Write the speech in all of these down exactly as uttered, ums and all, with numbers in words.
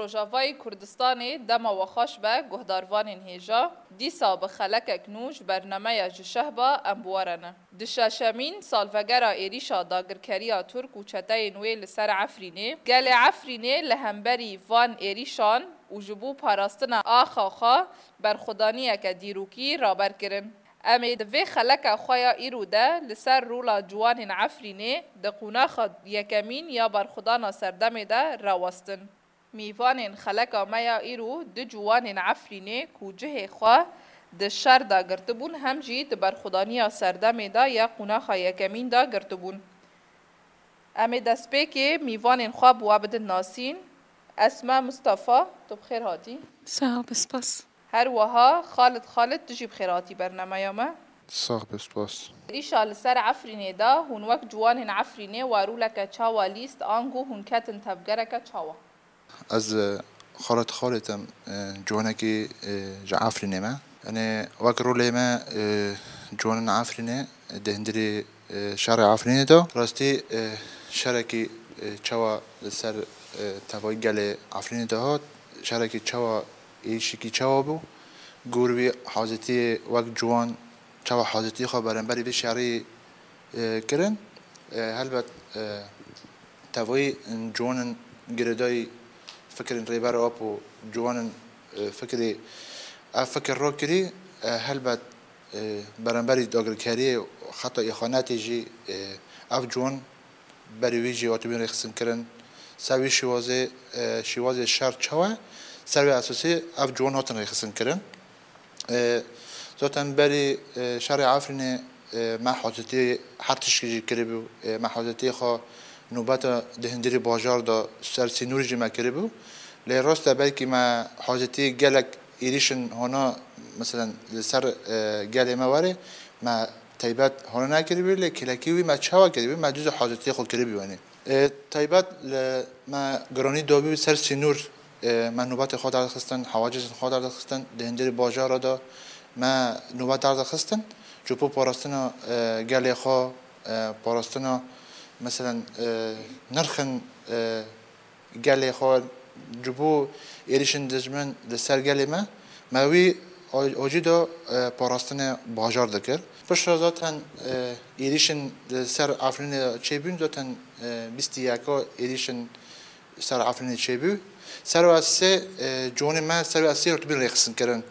Rojavayê Kurdistanê dema we xweş be, guhdarvanên hêja. Dîsa bi xelekek nû ji bernameya Ji Şehba em bi we re ne. Di şeşemîn salvegera êrîşa dagirkeriya Tirk û çeteyên wê li ser Efrînê, gelê Efrînê li hemberî van êrîşan û ji bo parastina axa xwe berxwedaniyeke dîrokî raber kirin. Em ê di vê xeleka xwe ya îro de li ser rola ciwanên Efrînê di qonaxa yekemîn ya berxwedana serdemê de rawestin. Mîvanên xeleka me ya îro du ciwanên Efrînê ku cihê xwe di şer de girtibûn, hem jî di berxwedaniya serdemê de ya qonaxa yekemîn de girtibûn. Em ê destpêkê mîvanên xwe bi we bidin nasîn. Esma Mustafa, tu bi xêr hatî. Sağ ol, spas. Her wiha Xalid Xalid, tu jî bi xêr hatî bernameya me. Sax be, spas. Êrîşa li ser Efrînê de hûn wek ciwanên Efrînê we rûleke çawa lîst, ango hûn ketin tevgereke çawa? Ez, e, Xalid Xalid im, e, ciwanekî, e, ji Efrînê me. Yanî wek rolê me, e, ciwanên Efrînê, e, di hundirê, e, şerê Efrînê de. Rastî, e, şerekî, e, çawa li ser, e, tevayî gelê Efrînê de hat, şerekî çawa, êrîşekî çawa bû, gor wî hazîtiyê wek ciwan çawa hazîtiyê xwe beramberî vê şerî, e, kirin. E, helbet, e, tevayî ciwanên girêdayî fikirên Rêber Apo, ciwanên, e, fikirê, ev fikir rakirî, e, helbet, e, beramberî dagirkeriyê, heta îxanetê jî, e, ev ciwan berî wî jî hatibûn rêxistinkirin. Ser wî şîwazê, e, şîwazê şer çawa, ser wê esasî ev ciwan hatin rêxistinkirin. E, zaten berî, e, şerê Efrînê, e, me hazirtiyê her tişkî jî kiribû. E, me hazirtiyê xwe nobeta di hundirê bajar de ser sînorî jî me kiribû. Lê rast e, belkî me hazirtiyê gelek êrîşin hona, meselen, li ser, e, gelê me werê, me taybet hona nekiribû, lê kêlekî wî me çawa kiribû, me dû hazirtiyê xwe kiribû, yanî. E, taybet li me giranî dabû ser sînor, e, me nûbetê xwe derdixistin, hewacizên xwe derdixistin, di hundirê bajara de me nûbet derdixistin. Ji bo parastina, e, gelê xwe, e, parastina, meselen, e, nirxên, e, gelê xwe, ji bo êrîşên dijmin li ser gelê me, me wî a-, acî de, e, parastinê bajar dikir. Piştre zaten, e, êrîşên li ser Efrînê çêbûn, zaten, e, bîst û yeka êrîşên ser Efrînê çêbû. Ser wê esasê, e, ciwanê me ser wê esasê hatibûn rêxistinkirin.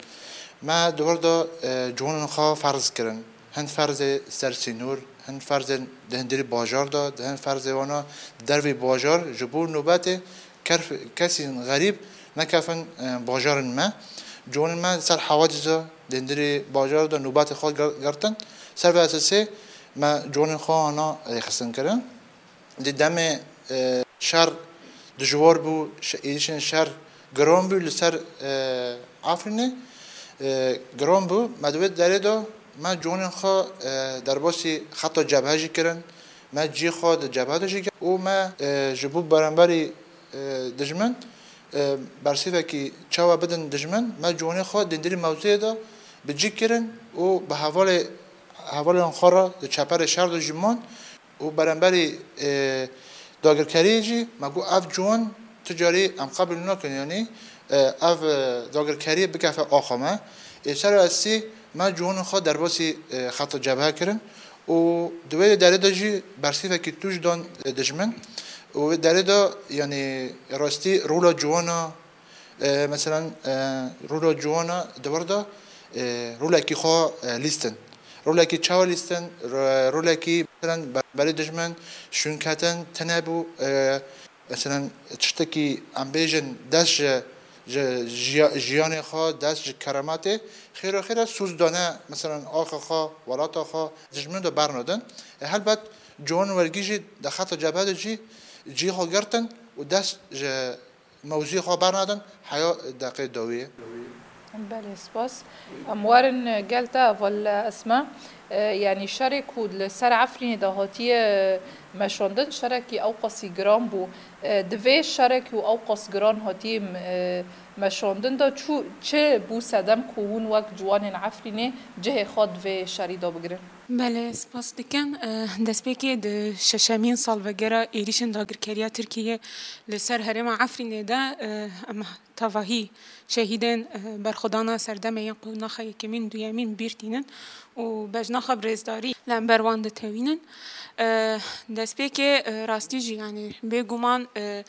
Me di wir de, e, ciwanên xwe ferz kirin. Hin ferzê ser sînor, hin ferzên di hundirê bajar de, di hin ferzê wana dervê bajar, ji bo nûbetê kerf-, kesên xerîb nekefin, e, bajarên me. Ciwanên me ser hewacizê di hundirê bajar de nûbetê xwe gir-, girtin. Ser vê esasê me ciwanên xwe ana rêxistin kirin. Di demê, e, şer dijwar bû, şe-, êrîşên şer giran bû li ser, e, Efrînê, e, giran bû. Me di wê derê de me ciwanên xwe, e, derbasî xeta cebhe jî kirin. Me cî xwe di cebhe de jî kir û me, e, ji bo beramberî, e, dijmin, e, bersîvekî çawa bidin dijmin, me ciwanên xwe di hundirê mewziyê de bi cî kirin û bi hevalê, hevalên xwe re di çeperê şer de jî man. Û beramberî, e, dagirkeriyê jî me got, ev ciwan tu carî em qebûl nakin, yanî, e, ev, e, dagirkeriyê bikefe axa me. Ê ser esî me ciwanên xwe derbasî, e, xeta cebhe kirin û di wê derê de jî bersîvekî tûj dan, e, dijmin. Û wê derê de, yanî, rastî rola ciwana, E, meselen, e, rola ciwana di wir de, e, rolekî xwe, e, lîstin. Rolekî çawa lîstin? Ro-, rolekî, meselen, ber-, berî dijmin şûnketin tine bû, e, meselen, tiştekî em bêjin dest ji, ji jiya-, jiyanê xwe, dest ji kerametê, xêra xêra soz dane, meselen, axa xwe, welata xwe, dijmin de bernadin. E, helbet, ciwan wergî jî di xeta cebhe de jî cî xwe girtin û dest ji mewzûyê xwe bernadin, heya deqê dawiyê. Belê, spas. Em werin gel te, heval Esma. E, yanî şerê ku li ser Efrînê de hatiye meşandin, şerekî ewqasî giran bû. E, di vê şerek û ewqas giran hatiye, e, meşandin de çû, çi bû sedem ku hûn wek ciwanên Efrînê cihê xwe di vê şerî de bigirin? Belê, spas dikim. E, destpêkê di şeşemîn salvegera êrîşên dagirkeriya Tirkiyê li ser herêma Efrînê de, e, em tevahî şehîdên, e, berxwedana serdemê yên qonaxa yekemîn, duyemîn bîr tînin û bejna xwe bi rêzdarî li hember wan ditewînin. E, destpêkê, e, rastî jî, yanî bêguman, e,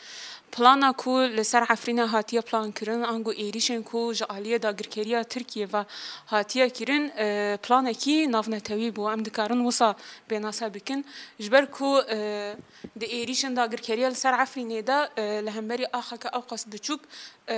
plana ku li ser Efrînê hatiye plan kirin, ango êrîşên ku ji aliyê dagirkeriya Tirkiyê ve hatiye kirin, e, planekî navnetewî bû. Em dikarin wisa pênase bikin. Ji ber ku, e, di êrîşên dagirkeriya li ser Efrînê de, e, li hemberî axeke ewqas biçûk, e,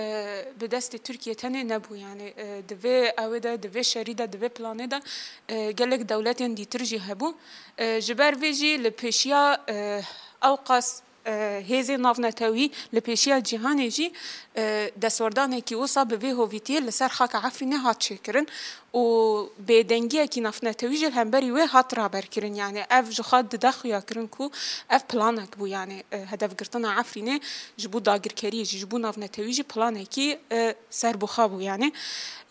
bi destê Tirkiyê tenê nebû. Yanî, e, di vê ewê de, di vê şerî de, di vê planê de, e, gelek dewletên dîtir jî hebû. E, ji ber vê jî li pêşiya, e, ewqas, e, hêzên navnetewî, li pêşiya cîhanê jî, e, destwerdanekî wisa bi vê hovîtiyê li ser xaka Efrînê hat çêkirin û bêdengiyekî navnetewî jî li hemberî wê hat raberkirin. Yanî ev ji xwe dide xuyakirin ku ev planek bû, yanî, e, hedefgirtina Efrînê ji bo dagirkeriyê jî, ji bo navnetewî jî planekî, e, serbixwe bû. Yanî,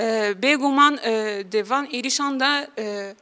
e, bêguman, e, di van êrîşan de, e,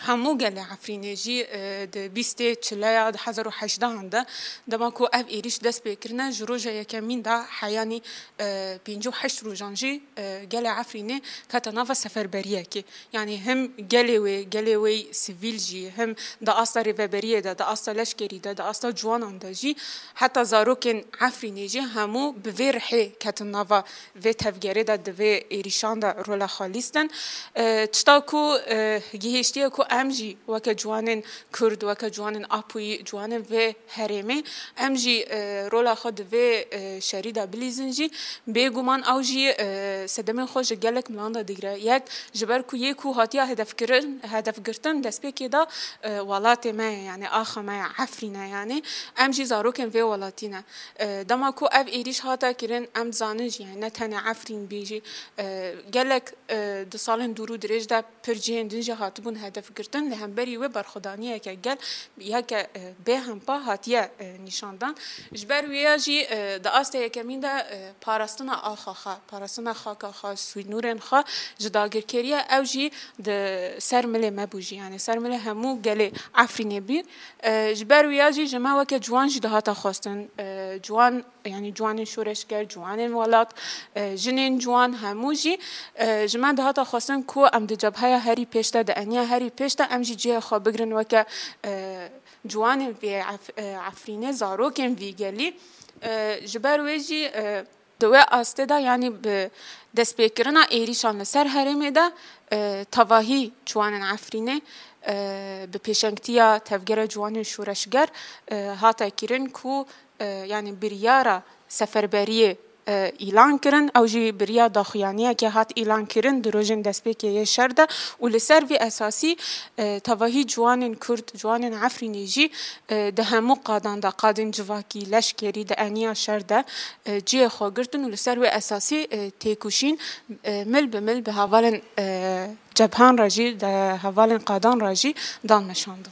hemû gelê Efrînê jî, e, di bîstê, çileya, di hezar û heşdehan de, dema ku ev êrîş dest pê kirine, ji roja yekemîn de heyanî, e, pêncî û heşt rojan jî, e, gelê Efrînê kete nava seferberiyekê. Yanî him gelê wê, gelê wê sivîl jî, him di asta rêveberiyê de, di asta leşkerî de, di asta ciwanan de jî, heta zarokên Efrînê jî hemû bi vê rihê ketin nava vê tevgerê de, di vê êrîşan de rola xwe lîstin. E, tişta ku, e, gihiştiye ku em jî weke ciwanên Kurd, weke ciwanên Apoyî, ciwanên vê herêmê, em jî, e, rola xwe di vê, e, şerî de bilîzin jî, bêguman ew jî, e, sedemên xwe ji gelek milan de digire. Yek, ji ber ku yê ku hatiye hedefkirin, hedefgirtin, destpêkê de, e, welatê me ye, yanî axa me ye, Efrîn e, yanî em jî zarokên vê welatî ne. E, dema ku ev êrîş hate kirin, em dizanin jî, yanî ne tenê Efrîn bî jî, e, gelek, e, di salên dûr û dirêj de pir cihên din jî hatibûn hedefgirtin, li hemberî wê berxwedaniyeke gel yeke, e, bêhempa hatiye, e, nîşandan. Ji ber wêya jî, e, di asta yekemîn de, e, parastina axa xwe, parastina xaka xwe, sînorên xwe ji dagirkeriya ew jî di ser milê me bû jî, yanî ser milê hemû gelê Efrînê bî. E, ji ber wêya jî ji me weke ciwan jî dihata xwestin, e, ciwan, yanî ciwanên şoreşger, ciwanên welat, e, jinên ciwan hemû jî, e, ji me dihata xwestin ku em di cebheya herî pêş de, di eniya herî pêş de em jî cihê xwe bigirin weke, e, ciwanên vê Ef-, e, Efrînê, zarokên vî gelî. E, ji ber wê jî, e, di wê astê de, yanî bi destpêkirina êrîşan li ser herêmê de, e, tevahî ciwanên Efrînê, e, bi pêşengtiya Tevgera Ciwanên Şoreşger, e, hate kirin ku, e, yanî biryara seferberiyê, e, îlan kirin. Ew jî biriya daxuyaniyeke hat îlan kirin di rojên destpêkê yê şer de û li ser vî esasî, e, tevahî ciwanên Kurd, ciwanên Efrînê jî, e, di hemû qadan de, qadên civakî, leşkerî, di eniya şer de, e, cihê xwe girtin û li ser wê esasî, e, têkoşîn, e, mil bi mil bi hevalên, e, cebhan re jî, di hevalên qadan re jî dan meşandin.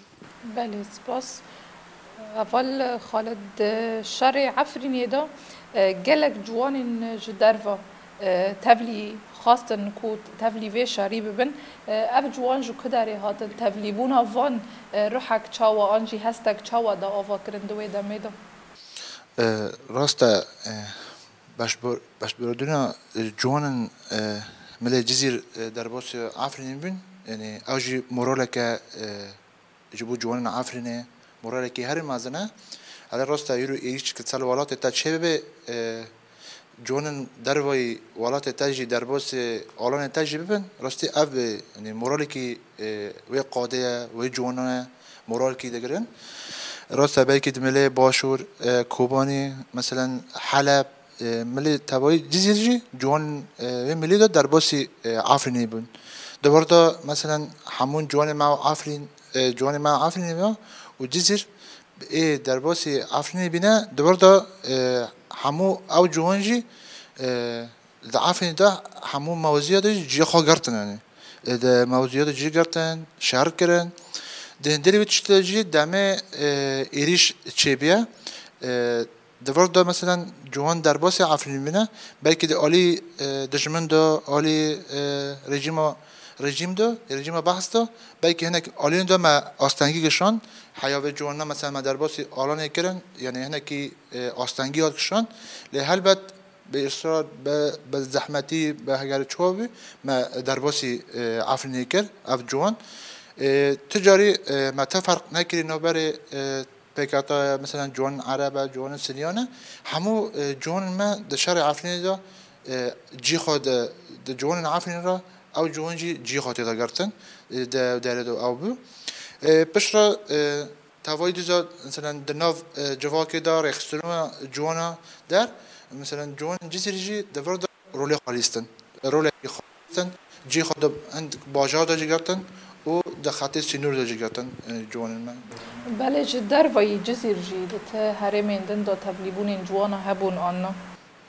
Belê, spas. Heval Xalid, di şerê Efrînê de, e, gelek ciwanên ji derve, e, tevlî xwestin ku tevlî vê şerî bibin. E, ev ciwan ji ku derê hatin? Tevlîbûna van, e, ruhek çawa an jî hestek çawa da ava kirin di wê demê de? E, rast e, e, beşbor-, beşbordina, e, ciwanên, e, milê Cizîr, e, derbasî Efrînê bûn. Yanî ew jî moraleke, e, ji bo ciwanên Efrînê moralekî herî mezin e. Hele rast e, îro êrîş ki ser welatê te çêbibe, e, ciwanên dervayî welatê te jî derbasî alanê te jî bibin, rastî ev, e, yanî moralekî, e, wê qadê ye, wê ciwanan e, moralekî digirin. Rast e, belkî di milê Başûr, e, Kobanî, meselen Heleb, e, milê tevayî Cizîr jî ciwan, e, wê milê de derbasî, e, Efrînê bûn. Di wir de, meselen, hemûn ciwanê me û Efrîn, e, ciwanê me Efrînê ve û Cizîr ê derbasî Efrînê bîne, di wir de, e, hemû ew ciwan jî, e, di Efrînê de hemû mewaziya de jî cihê xwe girtin, yanî. e, di mewzûya de cî girtin, şer kirin. Di hindê wî tiştê de jî demê, e, êrîş çêbûye. E, di vir de, meselen, ciwan derbasî Efrînê bûne, belkî di alî, e, dijmin de, alî, e, rejîma, rejîm de, rejîma Behs de, belkî hinek aliyên de me astengî kişand, heya vê ciwanan, meselen, me derbasî alanê kirin, yanî hinekî, e, astengî hat kişand. Lê helbet bi israr, bi, bi zehmetî, bi heger çawa bû, me derbasî, e, Efrînê kir, ev ciwan. E, tu carî, e, me te ferq nekirî navberê, e, P K K ye, mesela ciwanên Ereb e, ciwanên Siryan e. Hemû, e, ciwanên me di şerê Efrînê de, e, cî xwe di, di ciwanên Efrînê re, ew ciwan jî cî xwe tê de girtin, e, di derê de ew bû. E, piştre, e, tevayî dîsa, mesela di nav, e, civakê de rêxistina ciwana der, mesela ciwanên Cizîrî jî di vir de rolê xwe lîstin. Rolekî xwe lîstin. Cî xwe de hind bajar de jî girtin û di xetê sînor de jî girtin, e, ciwanên me. Belê ji dervayî Cizîr jî di ti herêmên din de tevlîbûnên ciwana hebûn an na?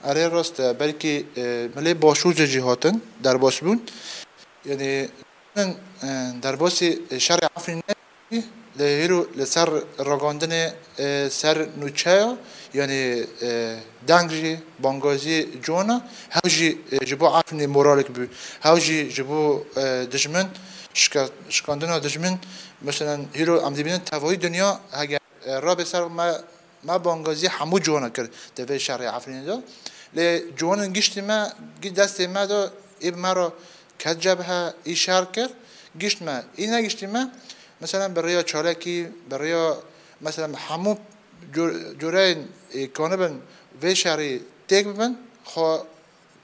Erê rast e, belkî, e, milê Başûr de jî hatin, derbas bûn. Yanî, e, derbasî şerê Efrînê Lê hîro li ser ragandinê, e, ser nûçeya, yanî, e, deng jî, bangazî ciwana, hew jî, e, ji bo Efrînê moralek bû, hew jî ji bo, e, dijmin, şike-, şikandina dijmin, meselen, hîro em dibînin tevayî dinya, heger, e, rabe ser me, me bangazî hemû ciwana kir di vê şerê Efrînê de. Lê ciwanên giştî me, gî destê me de ê bi me re ket cebhe, î şer kir, gişt me, î negiştî me, Mesela bi rêya çalakî, bi rêya, mesela hemû cur-, cureyên, e, kanibin vê şerî têk bibin, xwe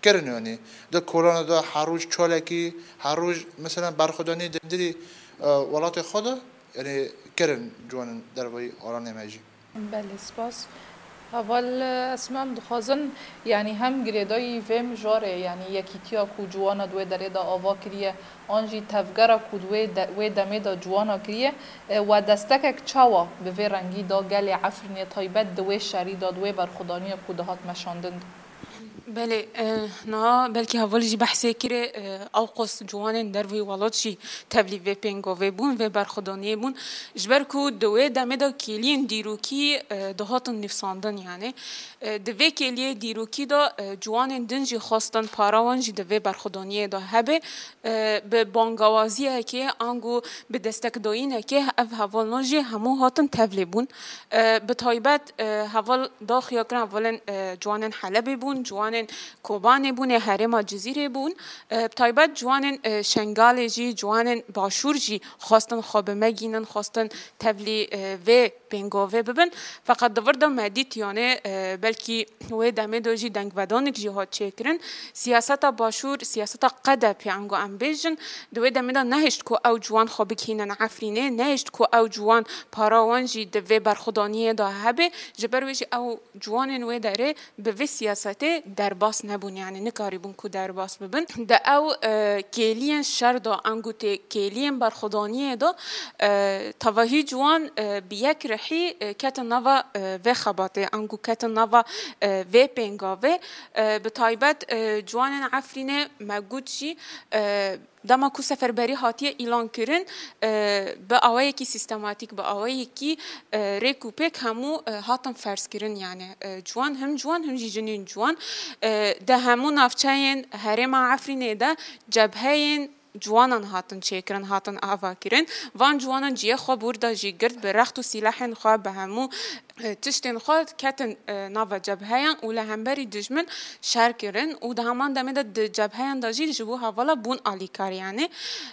kirin yanî. Di kolana de her roj çalakî, her roj mesela berxwedanî di hundirî, e, welatê xwe de, yanî kirin ciwanên dervayî alanê me jî. Belê, spas. Heval, e, Esma, em dixwazin, yanî hem girêdayî vê mijarê, yanî yekîtiya ku ciwana di wê derê de ava kiriye, an jî tevgera ku di wê de, wê demê de ciwana kiriye, e, we destekek çawa bi vê rengî da gelê Efrînê taybet di wê şerî de, di wê berxwedaniya ku dihat meşandin de? Belê, e, niha belkî hevalî jî behsê kirê, e, ewqas ciwanên derveyî welat jî tevlî vê pêngavê bûn, vê berxwedaniyê bûn. Ji ber ku di wê demê de kêliyên dîrokî, e, dihatin nivîsandin, yanî, e, di vê kêliyê dîrokî de, e, ciwanên din jî xwestin para wan jî di vê berxwedaniyê de hebe, e, bi bangawaziyekê ango bi destekdayînekê ev hevalnan jî hemû hatin tevlê bûn. E, bi taybet, e, heval da xuya kirin, hevalên, e, ciwanên Helebê bûn, ciwanên Kobanê bûn, ê herêma Cizîrê bûn. E, bi taybet ciwanên, e, Şengalê jî, ciwanên Başûr jî xwestin xwe bimegînin, xwestin tevlî, e, vê pêngavê bibin. Feqet di vir de me dît, yanê, e, belkî wê demê de jî dengvedanek jî hat çêkirin. Siyaseta Başûr, siyaseta K D P ango em bêjin, di wê demê de nehişt ku ew ciwan xwe bigihînin Efrînê, nehişt ku ew ciwan para wan jî di vê berxwedaniyê de hebe. Ji ber wê jî ew ciwanên wê derê bi vê siyasetê derbas nebûn, yanî nikarîbûn ku derbas bibin. Di ew, e, kêliyên şer de, ango tê kêliyên berxwedaniyê de, e, tevahî ciwan, e, bi yek rihî, e, ketin nava, e, vê xebatê, ango ketin nava, e, vê pêngavê. E, bi taybet, e, ciwanên Efrînê me got jî, e, Dema ku seferberî hatiye îlan kirin, e, bi awayekî sîstematîk, bi awayekî, e, rêk û pêk hemû, e, hatin ferz kirin. Yanî, e, ciwan, him ciwan, him jî jinên ciwan, e, di hemû navçeyên herêma Efrînê de cebheyên ciwanan hatin çêkirin, hatin avakirin. Van ciwanan cihê xwe bi wir de jî girt, bi rext û sîlehên xwe, bi hemû e, tiştên xwe ketin, e, nava cebheyan û li hemberî dijmin şer kirin û di heman demê de di cebheyan de jî ji bo hevala bûn alîkar. Yanî,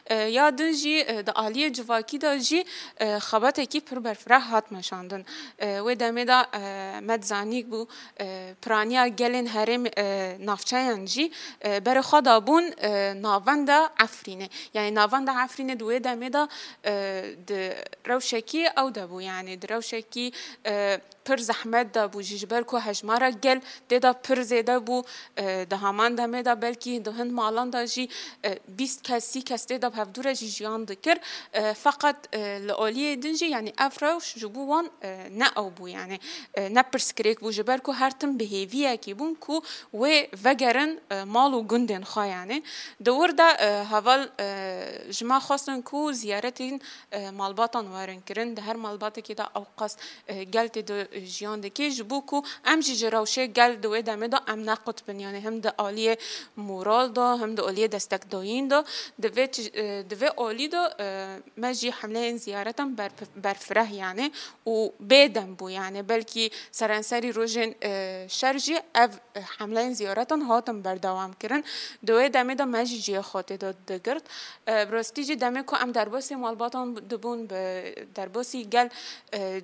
e, ya din jî, e, di aliyê civakî de jî, e, xebatekî pir berfireh hat meşandin. E, wê demê de, e, me dizanîk bû, e, piraniya gelên herêm, e, navçeyan jî, e, berê xwe dabûn, e, navenda Efrînê. Yanî navenda Efrînê di wê demê de, e, di rewşekî ew de bû, yanî di rewşekî, e, pir zehmet de bû jî, ji ber ku hejmara gel tê de pir zêde bû, e, di heman demê de belkî di hin malan de jî, e, bîst kes, sî kes tê de bi hevdû re jî jiyan dikir. E, feqet, e, li aliyê din jî, yanî ev rewş ji bo wan, e, ne ew bû, yanî, e, ne pirsgirêk bû, ji ber ku her tim bi hêviyekî bûn ku wê vegerin, e, mal û gundên xwe, yanî. Di wir de, e, heval, e, ji me xwestin ku ziyaretên, e, malbatan werin kirin. Di her malbatekê de ew qas, e, gel tê de jiyan dike, ji bo ku em jî ji rewşê gel di wê demê de em nequt bin. Yanî hem di aliyê moral de, hem di aliyê destekdayîn de, di vê tij-, e, di vê alî de, e, me jî hemleyên ziyaretan berf-, berfireh, yanî, û bêdem bû. Yanî belkî serenserî rojên, e, şer jî ev, e, hemleyên ziyaretan hatin berdewam kirin. Di wê demê de me jî cihê xwe tê de digirt. E, bi rastî jî demê ku em derbasî malbatan dibûn, bi derbasî gel, e,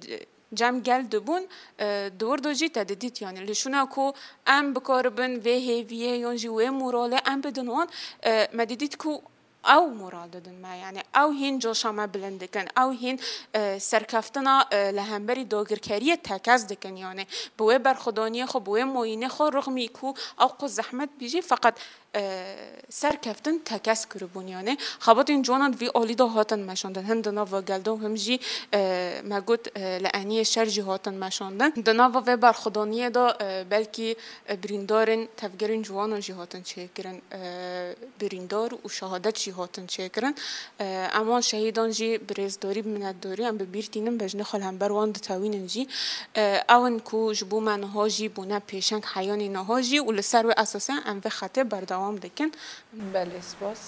cem gel dibûn, e, di wir de jî te didît, yanî li şûna ku em bikaribin vê hêviyê yan jî wê moralê em bidin wan, e, me didît ku ew moral didin me, yanî ew hîn coşa me bilind dikin, ew hîn, e, serkeftina, e, li hemberî dagirkeriyê tekez dikin, yanî bi wê berxwedaniyê xwe, bi wê moyînê xwe, rixmî ku ew qas zehmet bî jî, feqet, e, serkeftin tekez kiribûn, yanî xebatên ciwanan vî alî de hatin meşandin, hin di nava gel de û him jî, e, me got, e, li eniyê şer jî hatin meşandin. Di nava vê berxwedaniyê de, e, belkî, e, birîndarên tevgerên ciwanan jî hatin çêkirin, e, birîndar û şehadet jî hatin çêkirin. E, em wan şehîdan jî bi rêzdarî, bi minetdarî em bi bîr tînin, bejnê xwe li hember wan ditewînin jî. E, ew in ku ji bo me niha jî bûne pêşeng heyanî niha jî û li ser wê esasê em vê xetê berdewam dikin. Belê, spas.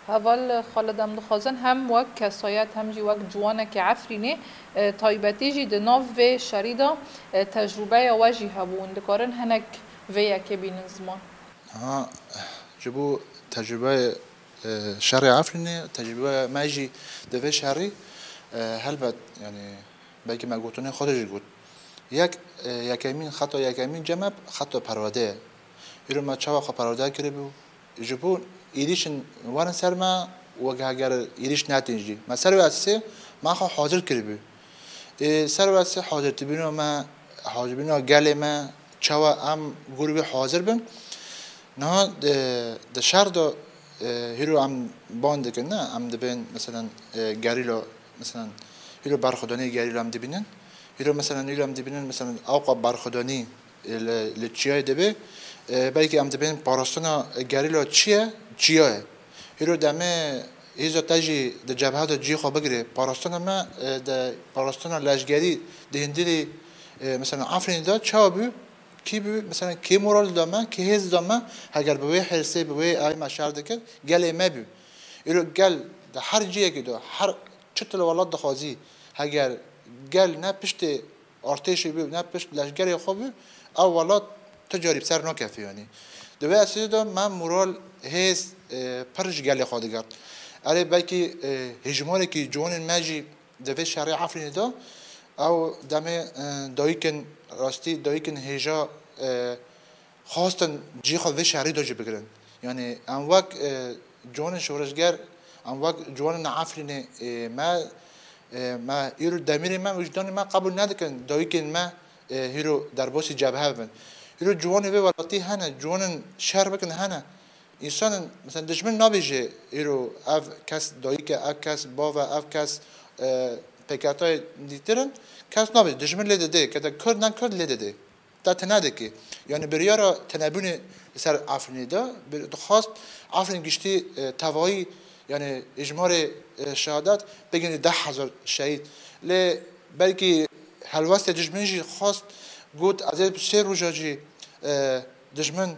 Heval Xalid, em dixwazin hem wek kesayet hem jî wek ciwanekî Efrînê, e, taybetî jî di nav vê şerî de, e, tecrûbeya we jî hebû. Hûn dikarin hinek vê yekê bînin ziman? Ha, ji bo tecrûbeyê, e, şerê Efrînê, tecrûbeya me jî di vê şerî, e, helbet, yanî, belkî me gotinên xwe de jî got. Yek, e, yekemîn, xeta yekemîn cem me xeta perwerde ye. Îro me çawa xwe perwerde kiribû? Ji bo êrîşin werin ser me, wek heger êrîş netin jî. Me ser wê esasê me xwe hazir kiribû. Ê, ser wê esasê hazirtibûna me, hazirbûna gelê me, çawa em gor wî hazir bin. Niha di, di şer de, e, hîro em ban dikin, ne? Em dibên, meselen, e, gerîla, meselen, hîro berxwedanî gerîla em dibînin. Hîro, meselen, hîro em dibînin, meselen, ewqa berxwedanî, e, li, li çiyayê dibe. E, belkî em dibên parastina gerîla çi ye? Çiya ye. Hîro demê hêza te jî di cebhe de cihê xwe bigire. Parastina me, e, di parastina leşgerî di hundirê, e, meselen, Efrînê de çawa bû? Kî bû? Mesela kê moral da me, kê hêz da me, heger bi wê hêrsê, bi wê ayê me şer dikir, gelê me bû. Îro gel di her cihekî de, her çi tu li welat dixwazî, heger gel ne piştê artêşê bû, ne pişt leşgerê xwe bû, ew welat tu carî bi ser nakefê, yanî. Di wê esasê de me moral, hêz, e, pir ji gelê xwe digirt. Erê belkî, e, hejmarekî ciwanên me jî di vê şerê Efrînê de ew demê, e, dayikên rastî, dayikên hêja, e, xwestin cihê xwe vê şerî de jî bigirin. Yanî em wek, e, ciwanên şoreşger, em wek ciwanên Efrînê, e, me, e, me îro demîrê me, wijdanê me qebûl nedikin, dayikên me, e, hîro derbasî cebhe bin. Hîro ciwanê vê welatî hene, ciwanên şer bikin hene. Însanên, mesela, dijmin nabêje îro ev kes dayik e, ev kes bav e, ev kes, e, pêketayê dîtir in. Kes nabêje, dijmin lê didê, kete Kurd ne Kurd lê didê. Te tune dikê. Yanî biryara tunebûnê li ser Efrînê de, bir, dixwast Efrîn giştî, e, tevayî, yanî hejmarê, e, şehadet bigihîne deh hezar şehîd. Lê belkî helwestê dijmin jî xwest got, ez ê bi sê roja jî, e, dijmin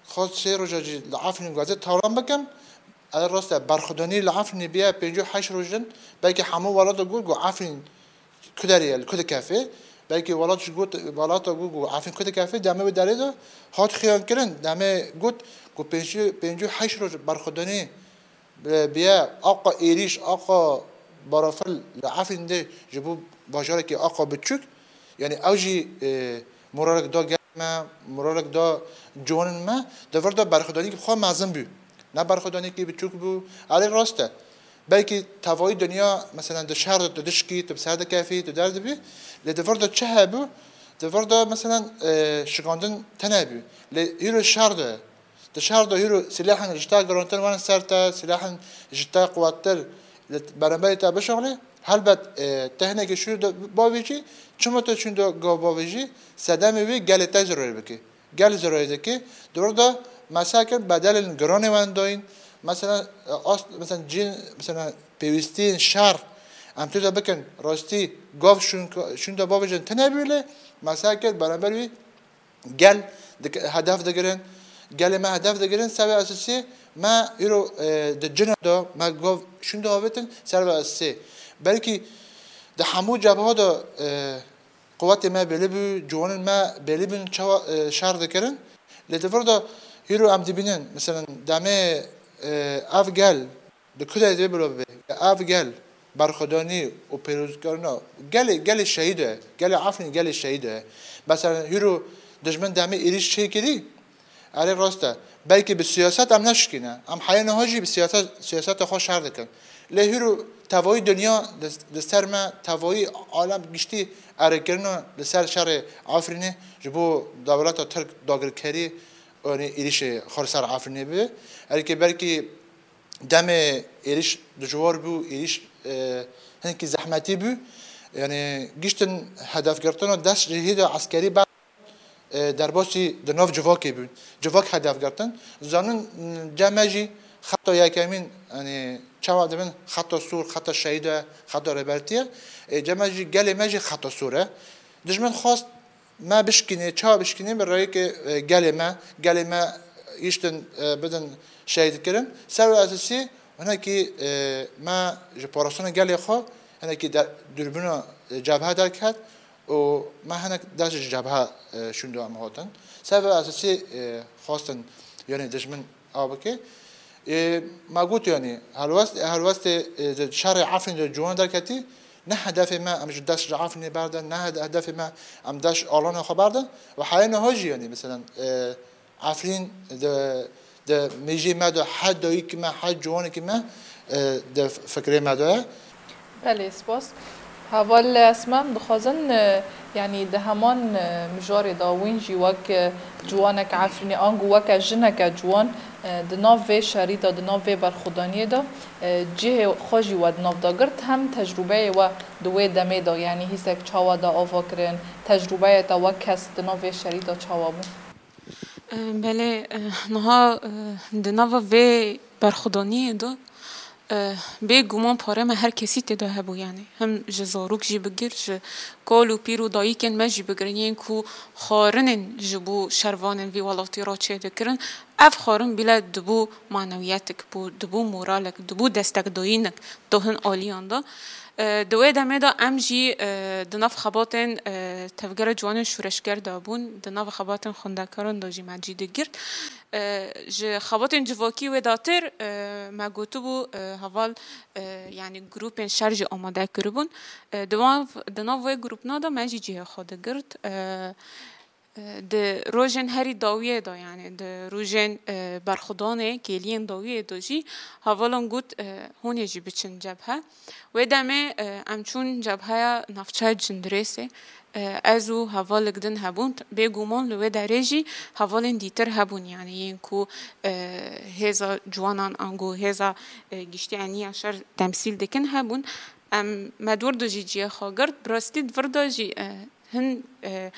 xwest sê roja jî li Efrîn gazê talan bikim. Ev rast e, berxwedanî li Efrînê bîye pêncî û heşt rojin, belkî hemû welata got, got Efrîn ku derê ye, li ku dikefê. Belkî welat jî got, welata got, got Efrîn ku dikefê, demê wê derê de hat xiyan kirin. Demê got, got pêncî, pêncî û heşt roj berxwedanî, e, bîye, aqa êrîş, aqa barafil li Efrîn de ji bo bajarekî aqa biçûk. Yanî ew jî, e, moralek da gelê me, moralek da ciwanên me. Di vir de berxwedanîkî xwe mezin bû. Ne berxwedanîkî biçûk bû. Erê rast e. Belkî tevayî dinya, mesela di şer de tu dişkî, tu bi ser dikefî, tu derdibî. Lê di vir de çi hebû? Di vir de, mesela, e, şikandin tene bû. Lê hîro şer de, di şer de hîro silahên ji te girantir werin ser te, silahên ji te quwettir li beramberî te bişixulê. Helbet, e, te hinekî şûr de bavêjî, çima tu çûn de gav bavêjî, sedemê wî gelê te zirarê bikî. Gel zirarê dike. Di vir de, mesela, kir bedelên giranê wen dayîn. Mesela, e, as-, mesela, cin, mesela, pêwîstiyên şer em tu de bikin, rastî gav şûn, şûn de bavêjin tune bû lê, mesela, kir beramber wî gel dik-, hedef digirin. Gelê me hedef digirin, ser vê esasî me îro, e, di cina de me gav şûn de avêtin, ser vê esasî. Belkî di hemû cebha de, e, Quwetê me belî bû, ciwanên me belî bûn çawa, e, şer dikirin. Lê di vir de hîro em dibînin, mesela demê, e, ev gel di ku derê divê bilo bibe. Ev gel berxwedanî û pêrozkirina gelê, gelê şehîd e, gelê Efrînê gelê şehîd e. Mesela hîro dijmin demê êrîş çêkirî, Erê rast e. Belkî bi siyaset em neşikîne. Em heyê niha jî bi siyaset, siyaseta xwe şer dikin. Lê hîro tevayî dinya li, li ser me, tevayî alem giştî erêkirina li ser şerê Efrînê ji bo dewleta Tirk dagirkerî, yanî êrîşê xwe li ser Efrînê bibe. Erê belkî demê êrîş dijwar bû, êrîş, e, hinkî zehmetî bû. Yanî giştin hedefgirtina dest ji hêda eskerî ber e, derbasî di nav civakê bûn. Civak hedef girtin. Zanin, cem me jî xeta yekemîn, yanî çawa dibin xeta sor, xeta şehîd e, xeta rêbertî ye. E, cem me jî gelê me jî xeta sor e. Dijmin xwest me bişkînê, çawa bişkînê bi rêyekê, e, gelê me, gelê me giştin, e, bidin şehîdkirin. Ser wê esasî hinekî, e, me ji parastina gelê xwe hinekî de, dûrbîna, e, cebhe derket. û me hinek dest ji cebhe, e, şûn de em hatin. Ser vê esasî, e, xwestin, yanî dijmin a bike. E, me got, yanî helwest, helwestê, e, di şerê Efrîn de ciwan derketî, ne hedefê me em ji dest ji Efrînê berdin, ne hede-, hedefê me em dest ji alana xwe berdin. Û heyê niha jî, yanî, mesela, e, Efrîn di, di mêjê me de her dayikî me, her ciwanekî me, e, di fikrê me de ye. Belê, spas. Heval Esma, em dixwazin, e, yanî di heman, e, mijarê de wîn jî wek, e, ciwanek Efrînê ango weke jineke ciwan, e, di nav vê şerî de, di nav vê berxwedaniyê de, e, cihê xwe jî we di nav de girt, hem tecrûbeyê we di wê demê de, yanî hîsek çawa de ava kirin, tecrûbeya te wek kes di nav vê şerî de çawa bû? Belê, niha di nava vê berxwedaniyê de bêguman parê me her kesî tê de hebû, yanî him ji zarok jî bigir, ji kal û pîr û dayikên me jî bigir, yên ku xwarinên ji bo şervanên vî welatî re çêdikirin, ev xwarin bîle dibû manewiyetik, bû, dibû moralek, dibû destekdayînek di hin aliyan de. E, di wê demê de em jî, e, di nav xebatên, e, Tevgera Ciwanên Şoreşger de bûn, di nav xebatên xwendekaran de jî me cî digirt. E, ji xebatên civakî wê datir, e, me gotibû, e, heval, e, yanî grûpên şer jî amade kiribûn. E, di wan, di nav wê grûpna de me jî cihê xwe digirt. E, Di rojên herî dawiyê de, yanî di rojên, e, berxwedanê kêliyên dawiyê de jî hevalan got, e, hûn ê jî biçin cebhe. Wê demê, e, em çûn cebheya navçeya Cindirêsê. E, ez û hevalek din hebûn. Bêguman li wê derê jî hevalên dîtir hebûn, yanî yên ku, e, hêza ciwanan ango hêza, e, giştî eniya şer temsîl dikin hebûn. Em me dûr de jî cihê xwe girt. Bi rastî di vir de jî, e, Hin, e,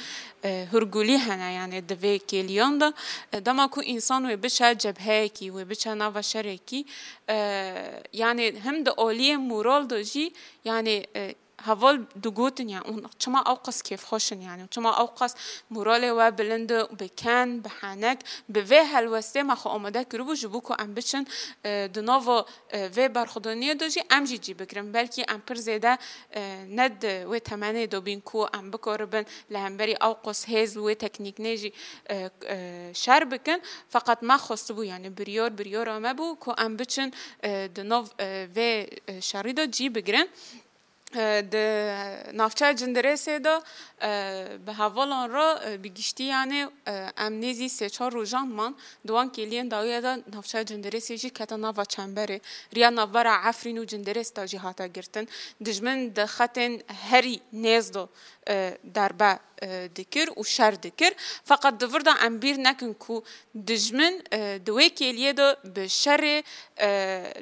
e, hûrgulî hene, yanî di vê kêliyan de. E, dema ku însan wê biçe cebheyekî, wê biçe nava şerekî, e, yanî him di aliyê moral de jî, yanî, e, heval digotin, yanî hûn çima ew qas kêfxweş in, yanî çima ew qas moralê we bilind e, bi ken, bi henek, bi vê helwestê me xwe amade kiribû ji bo ku em biçin, e, di nava e, vê berxwedaniyê de jî em jî cî bigirin. Belkî em pir zêde, e, ne di wê temenê de bîn ku em bikaribin li hemberî ew qas hêz û wê teknîknê jî, e, e, şer bikin. Feqet me xwestibû, yanî biryar, biryara me bû ku em biçin, e, di nav, e, vê, e, şerî de cî bigirin. E, di navçeya Cindirêsê de, e, bi hevalan re, e, bi giştî, yanî, e, em nêzî sê çar rojan man di wan kêliyên dawiyê de navçeya Cindirêsê jî kete nava çemberê. Riya navbera Efrîn û Cindirês de jî hate girtin. Dijmin di xetên herî nêz de, e, derbe, e, dikir û şer dikir. Feqet di vir de em bîr nekin ku dijmin, e, di wê kêliyê de bi şerê, e,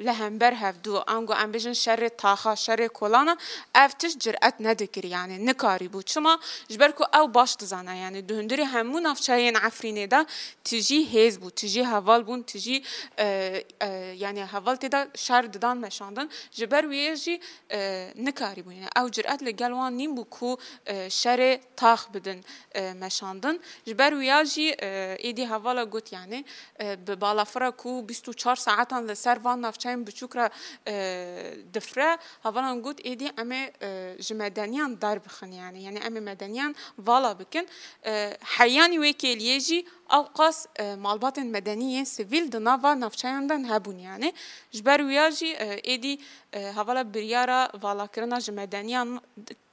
li hember hevdû, ango em bêjin şerê taxa, şerê kolana, ev tişt ciret nedikir, yanî nikarîbû. Çima? Ji ber ku ew baş dizane, yanî di hundirê hemû navçeyên Efrînê de tijî hêz bû, tijî heval bûn, tijî, e, e, yanî heval tê de şer didan meşandin. Ji ber wê yê jî, e, nikarîbû. Yanî ew ciret li gel wan nîn bû ku, e, şerê tax bidin, e, meşandin. Ji ber wiya jî, e, êdî hevala got, yanî, e, bi balafira ku bîst û çar saetan li ser van navçeyên biçûk re, e, difire, hevalan got, êdî em ê, e, ji medeniyan derbixin, yanî, yanî em ê medeniyan vala bikin. E, heyanî wê kêliyê jî ewqas, e, malbatên medenî yên sivîl di nava navçeyan de hebûn, yanî. Ji ber wiya jî, e, êdî, e, hevala biryara valakirina ji medeniyan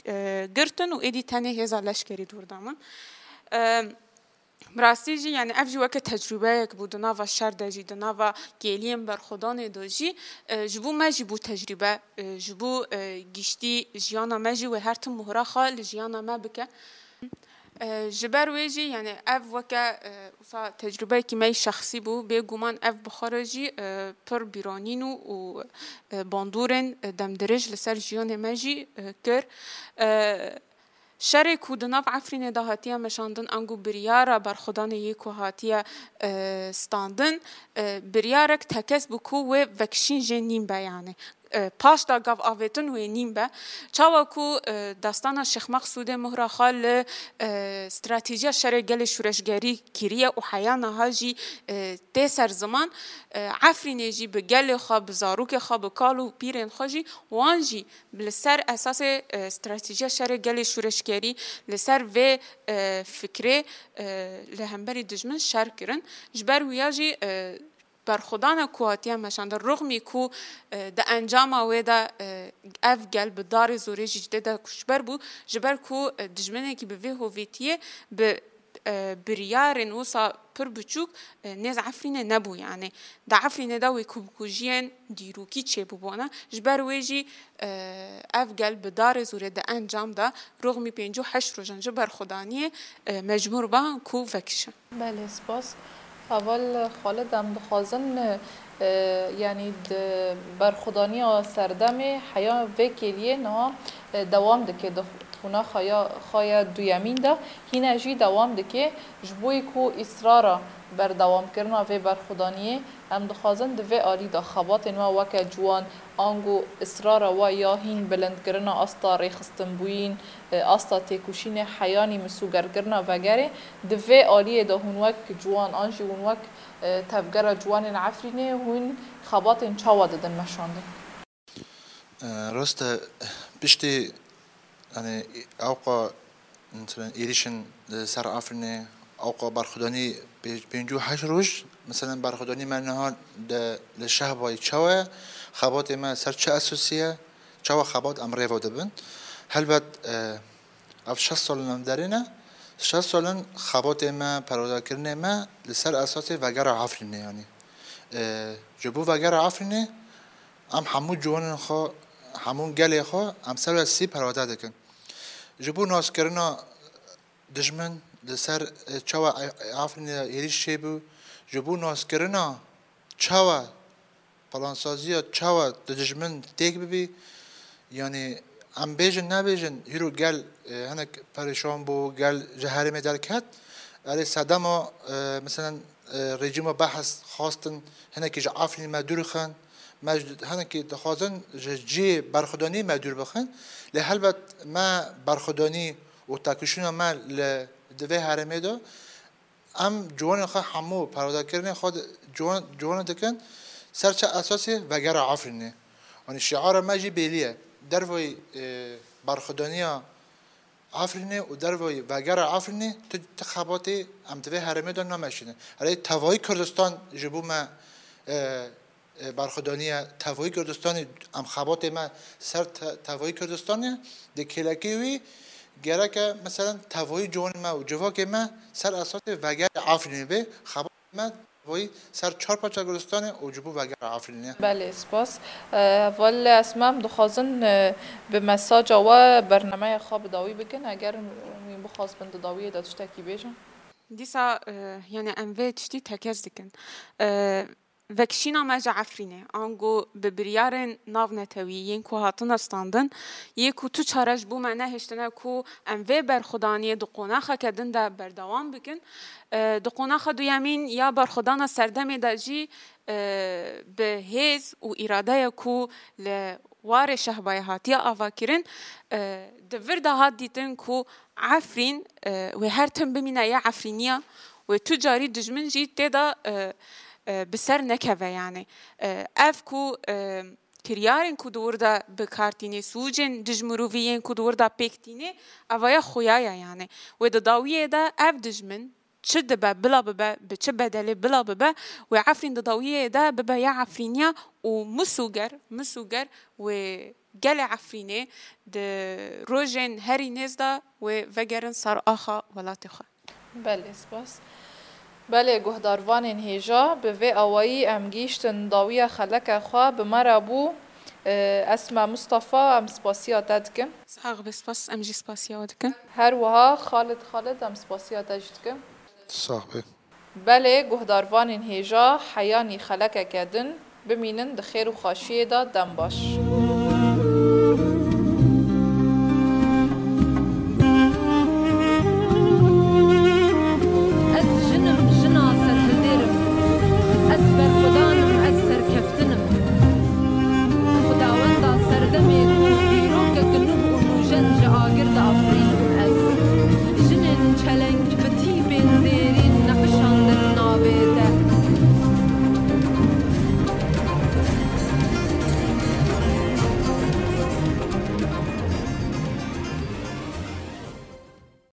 e, girtin û êdî tenê hêza leşkerî dûr da min. E, bi rastî jî, yanî ev jî weke tecrûbeyek bû di nava şer de jî, di nava kêliyên berxwedanê de jî, e, ji bo me jî bû tecrûbe, e, ji bo, e, giştî jiyana me jî wê her tim mohra xwe li jiyana me bike. E, ji ber wê jî, yanî ev weke, e, wisa tecrûbeyekî me yî şexsî bû, bêguman ev bi xwe re jî, e, pir bîranîn û, û, e, bandorên, e, demdirêj li ser jiyanê me jî, e, kir. E, şerê ku di nav Efrînê de hatiye meşandin, ango biryara berxwedanê yê ku hatiye, e, standin, e, biryarek tekez bû ku wê vekişîn jê nîn be, yanî. E, paş da gav avêtin wê nîn be. Çawa ku, e, destana Şêx Meqsûdê mohra xwe li, e, stratejiya şerê gelê şûreşgerî kiriye û heya niha jî, e, tê ser ziman, e, Efrînê jî bi gelê xwe, bi zarokê xwe, bi kal û pîrên xwe jî, wan jî li ser esasê, e, stratejiya şerê gelê şûreşgerî, li ser vê, e, fikrê, e, li hemberî dijmin şer kirin. Ji ber wiya jî, e, berxwedana ku hatiye meşandin, rixmî ku, e, di encama wê de, e, ev gel bi darê zorê jî ji dê de koçber bû, ji ber ku, e, dijminekî bi vê hovîtiyê bi, e, biryarên wisa pir biçûk, e, nêz Efrînê nebû, yanî di Efrînê de wê kubikujiyên dîrokî çêbûbûne. Ji ber wê jî, e, ev gel bi darê zorê di encam de rixmî pêncî û heşt rojan ji berxwedaniyê, e, mecbûr ban ku vekişin. Belê, spas. Heval Xalid, em dixwazin, e, yanî di berxwedaniya serdemê heya vê kêliyê niha, e, dewam dike di qonaxa ya xwe ya duyemîn de, hîne jî dewam dike. Ji bo ku îsrara berdewamkirina vê berxwedaniyê, em dixwazin di vê alî de xebatên we weke ciwan, ango îsrara we ya hîn bilindkirina asta rêxistinbûyîn, e, asta têkoşînê heyanî misûgerkirina vegerê, di vê aliyê de hûn wek ciwan an jî hûn wek, e, tevgera ciwanên Efrînê hûn xebatên çawa didin meşandin? E, rast e, piştî, yanî, ewqa, mesela, êrîşin li ser Efrînê, ewqa berxwedanî pê-, pêncî û heşt roj, mesela, berxwedanî me niha de li Şehbayê çawa ye, xebatê me ser çi esasî ye, çawa xebat em rêva dibin. Helbet, e, ev şeş sal in em derê ne, şeş sal in xebatê me, perwadakirinê me li ser esasê vegera Efrînê, yanî. E, ji bo vegera Efrînê, em hemû ciwanên xwe, hemû gelê xwe, em ser we sî perwade dikin. Ji bo naskirina dijmin li ser, e, çawa e-, Efrînê êrîş çêbû, ji bo naskirina çawa plansaziya çawa di dijmin têk bibî, yanî em bêjin nebêjin, hîro gel, e, hinek perêşan bû, gel ji herêmê derket, erê sedema, e, meselen, e, rejîma Behs xwastin hinekî ji Efrînê me dûr xin, me ji, hinekî dixwazin ji cihê berxwedanî me dûr bixin, lê helbet me berxwedanî û têkoşîna me li, di vê herêmê de, em ciwanên xwe hemû perwadakirinê xwe di, ciwan, ciwanê dikin ser çi esasê vegera Efrînê. Yanî şiara me jî belî ye. Dervayî, e, berxwedaniya Efrînê û dervayî vegera Efrînê tu, tu xebatê em di vê herêmê de nameşînin. Erê tevayî Kurdistan ji bo me, e, e, berxwedaniya tevayî Kurdistanê, em xebatê me ser te-, tevayî Kurdistanê, di kêlekê wî gereke, meselen, tevayî ciwanê me û civakê me ser esasê vegerê Efrînê bê, xebatê me tevayî ser çar parça Kurdistanê û ji bo vegerê Efrînê. Belê, spas. E, hevalê Esma, em dixwazin, e, bi mesaja we bernameya xwe bi dawî bikin, eger wî bixwazibin di dawiyê de tiştekî bêjin. Dîsa, e, yani em vê tiştî tekez dikin. E, Vekişîna me ji Efrînê, ango bi biryarên navnetewî yên ku hatine standin, yê ku tu çare ji bo me nehiştine ku em vê berxwedaniyê di qonaxeke din de berdewam bikin. E, di qonaxa duyemîn ya berxwedana serdemê de jî, e, bi hêz û îradeya ku li warê Şehbayê hatiye avakirin, e, di vir de hat dîtin ku Efrîn, e, wê her tim bimîne ya Efrîniya, wê tu carî dijmin jî tê de, e, e, bi ser nekeve yani. E, ev ku, e, kiryarên ku di wir de bi kar tînê, sûcên dijmirovî yên ku di wir de pêk tînê, evaya xuya ye yani. Wê di dawiyê de ev dijmin çi dibe bila bibe, bi çi bedelê bila bibe, wê Efrîn di dawiyê de bibe ya Efrîniya û misûger, misûger wê gelê Efrînê di rojên herî nêz de wê vegerin ser axa welatê xwe. Belê, spas. Belê, guhdarvanên hêja, bi vê awayî em gihîştin dawiya xeleke xwe. Bi me re bû, e, Esma Mustafa, em spasiya te dikin. Sax be, spas, em jî spasiya we dikin. Her wiha Xalid Xalid, em spasiya te jî dikin. Sax be. Belê, guhdarvanên hêja, heyanî xelekeke din, bimînin di xêr û xweşiyê de, dem baş.